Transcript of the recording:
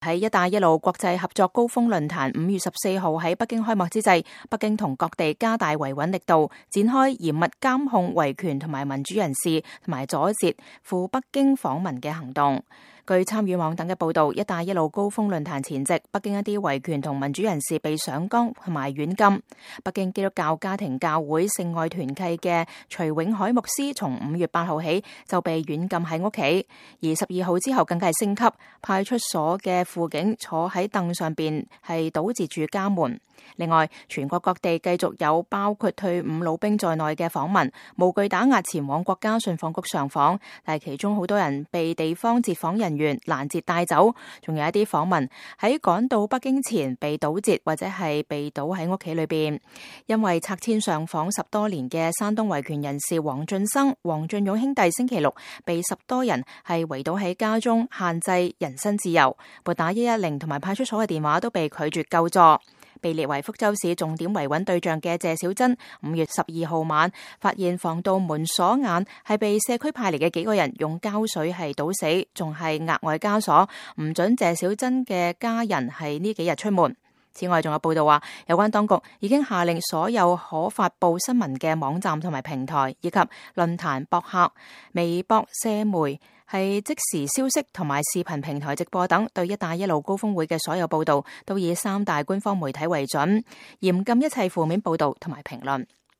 喺一帶一路國際合作高峰論壇5月14號喺北京開幕之際，北京同各地加大維穩力度，展開嚴密監控維權同埋民主人士同埋阻截赴北京訪問嘅行動。據參與網等嘅報道，一帶一路高峰論壇前夕，北京一啲維權同民主人士被上綱同埋軟禁。北京基督教家庭教會聖愛團契嘅徐永海牧師從5月8號起就被軟禁喺屋企，而12號之後更加係升級，派出所嘅輔警坐喺凳上邊係堵截住家門。另外，全國各地繼續有包括退伍老兵在內嘅訪民無懼打壓前往國家信訪局上訪，但係其中好多人被地方截訪人員攔截帶走，仲有一啲訪民喺趕到北京前被堵截或者係被堵喺屋企裏邊。因為拆遷上訪10多年嘅山東維權人士黃俊生、黃俊勇兄弟星期六被10多人係圍堵喺家中，限制人身自由，撥打110同埋派出所嘅電話都被拒絕救助。被列為福州市重點維穩對象嘅謝小珍5月12號晚發現防盜門鎖眼係被社區派嚟嘅幾個人用膠水係堵死，仲係額外加鎖，唔准謝小珍嘅家人係呢幾日出門。此外，仲有報道話，有關當局已經下令所有可發佈新聞嘅網站同埋平台，以及論壇、博客、微博、社媒係即時消息同埋視頻平台直播等，對一帶一路高峰會嘅所有報道都以3大官方媒體為準，嚴禁一切負面報道同埋評論。